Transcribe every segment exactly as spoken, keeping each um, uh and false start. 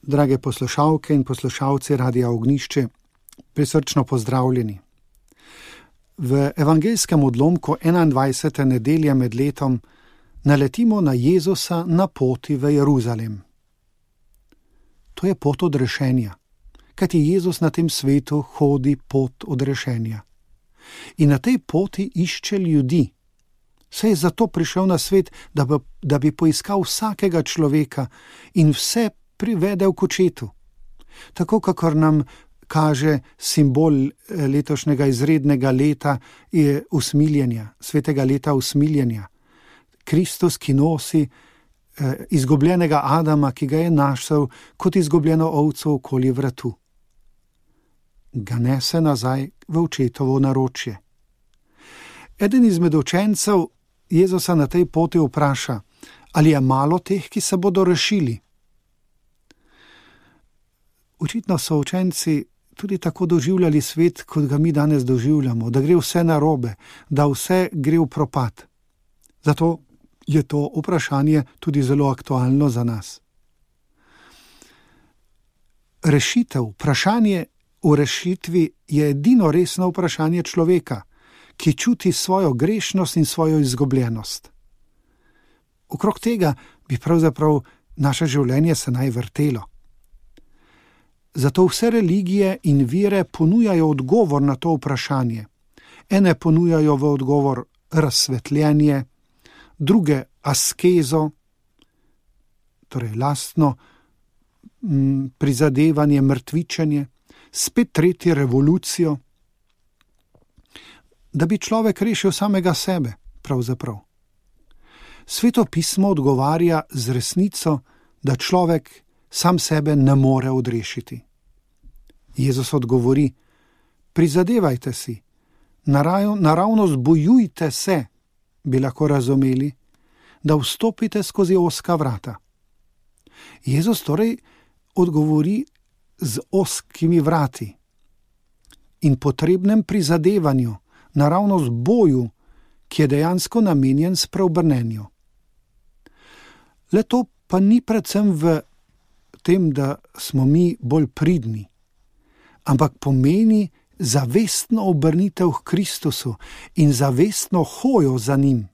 Drage poslušalke in poslušalci Radia Ognjišče, prisrčno pozdravljeni. V evangeljskem odlomku enaindvajsete nedelje med letom naletimo na Jezusa na poti v Jeruzalem. To je pot odrešenja, kajti Jezus na tem svetu hodi pot odrešenja. In na tej poti išče ljudi. Saj je zato prišel na svet, da bi, da bi poiskal vsakega človeka in vse privedel k očetu. Tako kakor nam kaže simbol letošnjega izrednega leta je usmiljenja, svetega leta usmiljenja. Kristus, ki nosi eh, izgubljenega Adama, ki ga je našel kot izgubljeno ovco okoli vratu. Ga nese nazaj v očetovo naročje. Eden izmed učencev Jezusa na tej poti vpraša, ali je malo teh, ki se bodo rešili. Očitno so učenci tudi tako doživljali svet, kot ga mi danes doživljamo, da gre vse narobe, da vse gre v propad. Zato je to vprašanje tudi zelo aktualno za nas. Rešitev, vprašanje v rešitvi je edino resno vprašanje človeka, ki čuti svojo grešnost in svojo izgubljenost. Okrog tega bi pravzaprav naše življenje se naj vrtelo. Zato vse religije in vire ponujajo odgovor na to vprašanje. Ene ponujajo v odgovor razsvetljenje, druge askezo, torej lastno m, prizadevanje, mrtvičenje, spet tretje revolucijo, da bi človek rešil samega sebe, pravzaprav. Sveto pismo odgovarja z resnico, da človek sam sebe ne more odrešiti. Jezus odgovori, prizadevajte si, naravno zbojujte se, bi lahko razumeli, da vstopite skozi ozka vrata. Jezus torej odgovori z ozkimi vrati in potrebnem prizadevanju, naravno z boju, ki je dejansko namenjen spreobrnenju. Le to pa ni predvsem v tem, da smo mi bolj pridni, ampak pomeni zavestno obrnitev k Kristusu in zavestno hojo za njim.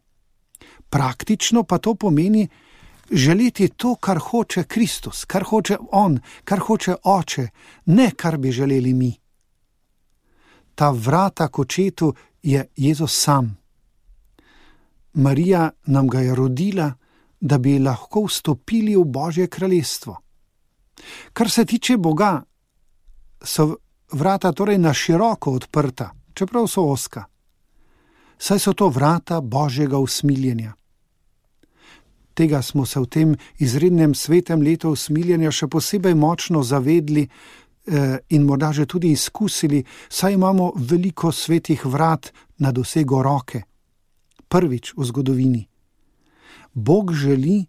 Praktično pa to pomeni želeti to, kar hoče Kristus, kar hoče On, kar hoče Oče, ne kar bi želeli mi. Ta vrata k očetu je Jezus sam. Marija nam ga je rodila, da bi lahko vstopili v Božje kraljestvo. Kar se tiče Boga, so vrata torej na široko odprta, čeprav so ozka. Saj so to vrata Božjega usmiljenja. Tega smo se v tem izrednem svetem letu usmiljenja še posebej močno zavedli eh, in morda že tudi izkusili, saj imamo veliko svetih vrat na dosego roke. Prvič v zgodovini. Bog želi,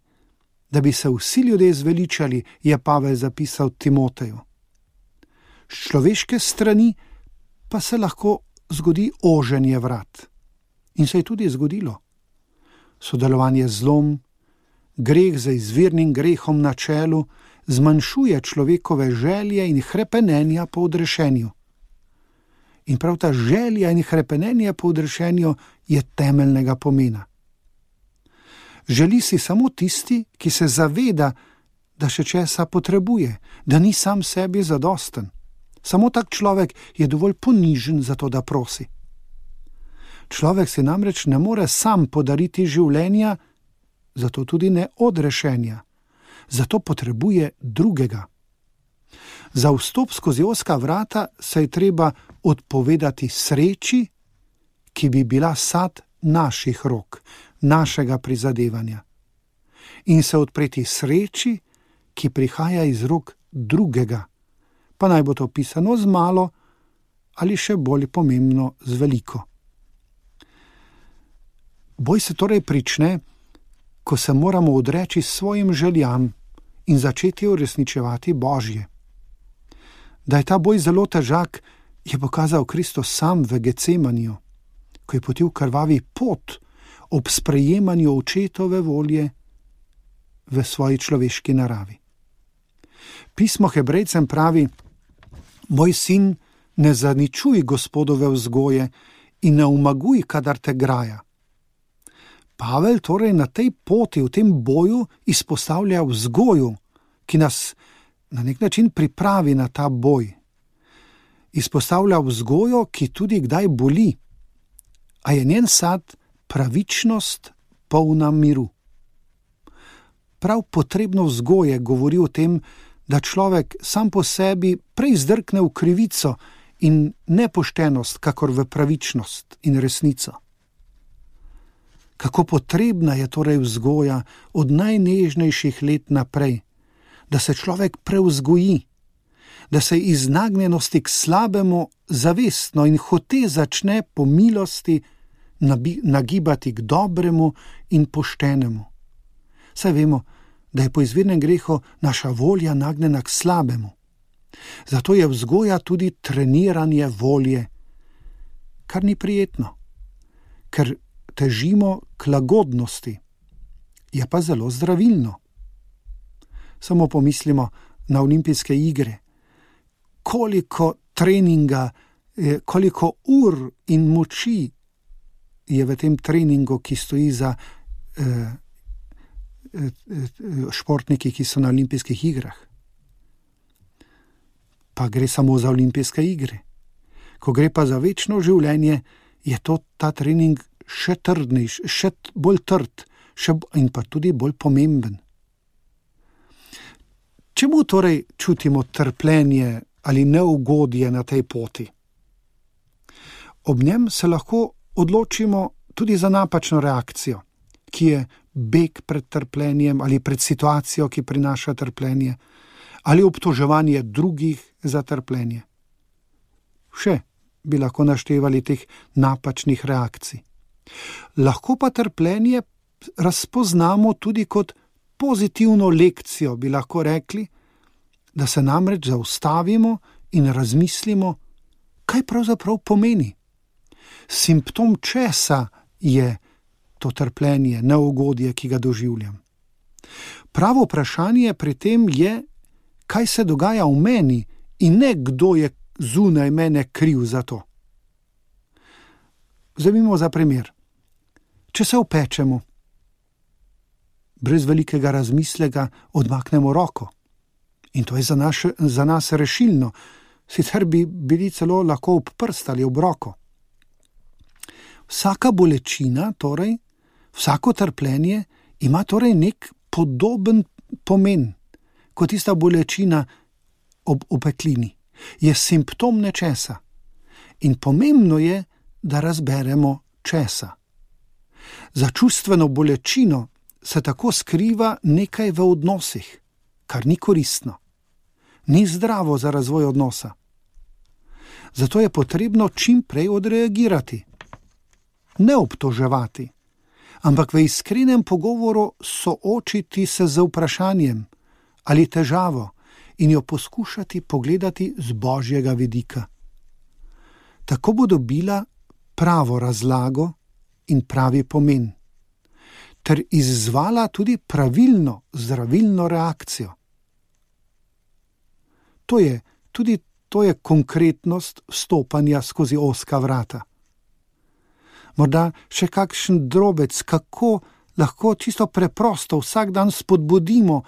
da bi se vsi ljudje zveličali, je Pavel zapisal Timoteju. S človeške strani pa se lahko zgodi oženje vrat. In se je tudi zgodilo. Sodelovanje z zlom, greh za izvirnim grehom na čelu, zmanjšuje človekove želje in hrepenenja po odrešenju. In prav ta želja in hrepenenje po odrešenju je temeljnega pomena. Želi si samo tisti, ki se zaveda, da še česa potrebuje, da ni sam sebi zadosten. Samo tak človek je dovolj ponižen za to, da prosi. Človek si namreč ne more sam podariti življenja, zato tudi ne odrešenja. Zato potrebuje drugega. Za vstop skozi ozka vrata se je treba odpovedati sreči, ki bi bila sad naših rok, našega prizadevanja. In se odpreti sreči, ki prihaja iz rok drugega, pa naj bo to pisano z malo ali še bolj pomembno z veliko. Boj se torej prične, ko se moramo odreči svojim željam in začeti uresničevati Božje. Da je ta boj zelo težak, je pokazal Kristus sam v Getsemaniju, ko je potil krvavi pot ob sprejemanju očetove volje v svoji človeški naravi. Pismo Hebrejcem pravi: moj sin, ne zaničuj Gospodove vzgoje in ne umaguj, kadar te graja. Pavel torej na tej poti, v tem boju izpostavlja vzgoju, ki nas na nek način pripravi na ta boj. Izpostavlja vzgojo, ki tudi kdaj boli, a je njen sad pravičnost polna miru. Prav potrebno vzgoje govori o tem, da človek sam po sebi prej zdrkne v krivico in nepoštenost, kakor v pravičnost in resnico. Kako potrebna je torej vzgoja od najnežnejših let naprej, da se človek prevzgoji, da se iz nagnjenosti k slabemu zavestno in hote začne po milosti nagibati k dobremu in poštenemu. Saj vemo, da je po izvirnem grehu naša volja nagnjena k slabemu. Zato je vzgoja tudi treniranje volje, kar ni prijetno, ker težimo k lagodnosti, je pa zelo zdravilno. Samo pomislimo na olimpijske igre, koliko treninga, koliko ur in moči je v tem treningu, ki stoji za eh, športniki, ki so na olimpijskih igrah. Pa gre samo za olimpijske igre. Ko gre pa za večno življenje, je to ta trening še trdnejši, še bolj trd še, in pa tudi bolj pomemben. Čemu torej čutimo trpljenje ali neugodje na tej poti? Ob njem se lahko odločimo tudi za napačno reakcijo, ki je beg pred trpljenjem ali pred situacijo, ki prinaša trpljenje, ali obtoževanje drugih za trpljenje. Še bi lahko naštevali teh napačnih reakcij. Lahko pa trpljenje razpoznamo tudi kot pozitivno lekcijo, bi lahko rekli, da se namreč zaustavimo in razmislimo, kaj pravzaprav pomeni. Simptom česa je to trpljenje, neugodje, ki ga doživljam. Pravo vprašanje pri tem je, kaj se dogaja v meni in ne kdo je zunaj mene kriv za to. Vzemimo za primer. Če se opečemo, brez velikega razmisleka odmaknemo roko. In to je za, naš, za nas rešilno, sicer bi bili celo lahko ob prst ali ob roko. Vsaka bolečina, torej, vsako trpljenje ima torej nek podoben pomen, kot tista bolečina ob opeklini. Je simptom nečesa. In pomembno je, da razberemo česa. Za čustveno bolečino se tako skriva nekaj v odnosih, kar ni koristno. Ni zdravo za razvoj odnosa. Zato je potrebno čim prej odreagirati. Ne obtoževati, ampak v iskrenem pogovoru soočiti se z vprašanjem ali težavo in jo poskušati pogledati z Božjega vidika. Tako bo dobila pravo razlago in pravi pomen, ter izzvala tudi pravilno, zdravilno reakcijo. To je, tudi to je konkretnost vstopanja skozi ozka vrata. Morda še kakšen drobec, kako lahko čisto preprosto vsak dan spodbudimo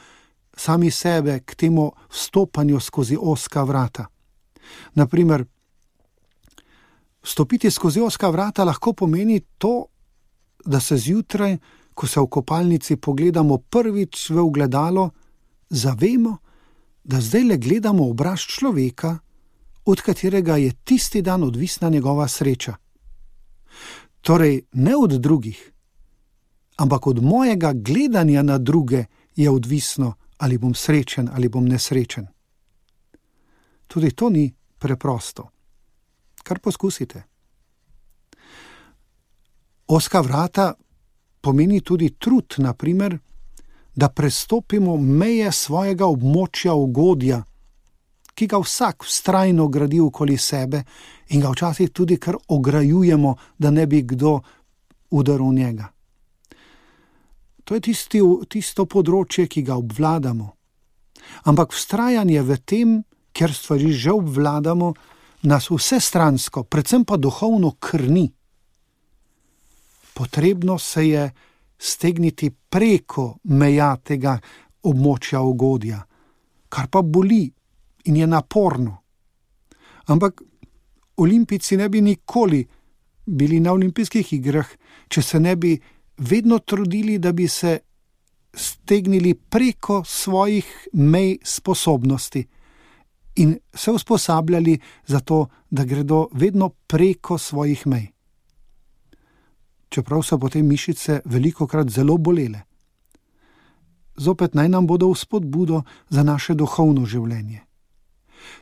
sami sebe k temu vstopanju skozi ozka vrata. Naprimer, vstopiti skozi ozka vrata lahko pomeni to, da se zjutraj, ko se v kopalnici pogledamo prvič v ogledalo, zavemo, da zdaj le gledamo obraz človeka, od katerega je tisti dan odvisna njegova sreča. Torej ne od drugih, ampak od mojega gledanja na druge je odvisno, ali bom srečen ali bom nesrečen. Tudi to ni preprosto. Kar poskusite. Ozka vrata pomeni tudi trud, naprimer, da prestopimo meje svojega območja ugodja, ki ga vsak vztrajno gradi okoli sebe in ga včasih tudi kar ograjujemo, da ne bi kdo udaril njega. To je tisti, tisto področje, ki ga obvladamo. Ampak vztrajanje v tem, ker stvari že obvladamo, nas vsestransko, predvsem pa duhovno krni. Potrebno se je stegniti preko meja tega območja ugodja, kar pa boli in je naporno. Ampak olimpijci ne bi nikoli bili na olimpijskih igrah, če se ne bi vedno trudili, da bi se stegnili preko svojih mej sposobnosti in se usposabljali za to, da gredo vedno preko svojih mej. Čeprav so potem mišice velikokrat zelo bolele. Zopet naj nam bodo v spodbudo za naše duhovno življenje.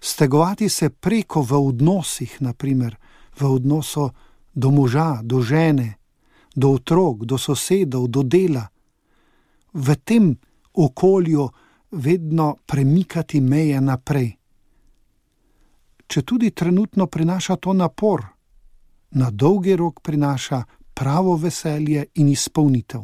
Stegovati se preko v odnosih, naprimer v odnosu do moža, do žene, do otrok, do sosedov, do dela. V tem okolju vedno premikati meje naprej. Če tudi trenutno prinaša to napor, na dolgi rok prinaša pravo veselje in izpolnitev.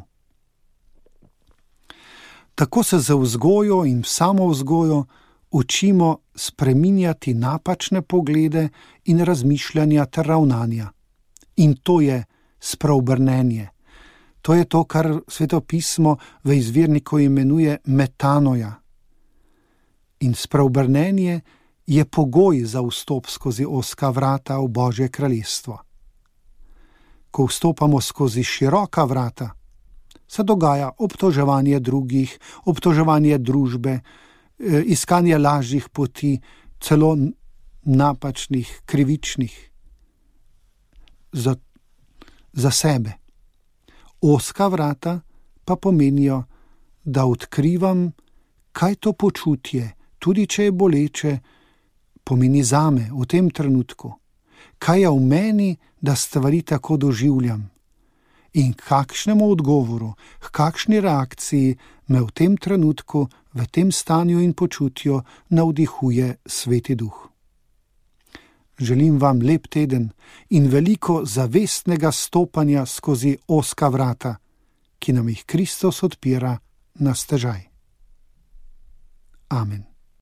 Tako se za vzgojo in samovzgojo učimo spreminjati napačne poglede in razmišljanja ter ravnanja. In to je spreobrnenje. To je to, kar Sveto pismo v izvirniku imenuje metanoja. In spreobrnenje je pogoj za vstop skozi ozka vrata v Božje kraljestvo. Ko vstopamo skozi široka vrata, se dogaja obtoževanje drugih, obtoževanje družbe, iskanje lažjih poti, celo napačnih, krivičnih za, za sebe. Ozka vrata pa pomenijo, da odkrivam, kaj to počutje, tudi če je boleče, pomeni zame v tem trenutku. Kaj je v meni, da stvari tako doživljam? In kakšnemu odgovoru, k kakšni reakciji me v tem trenutku, v tem stanju in počutju navdihuje Sveti Duh. Želim vam lep teden in veliko zavestnega stopanja skozi ozka vrata, ki nam jih Kristus odpira na stežaj. Amen.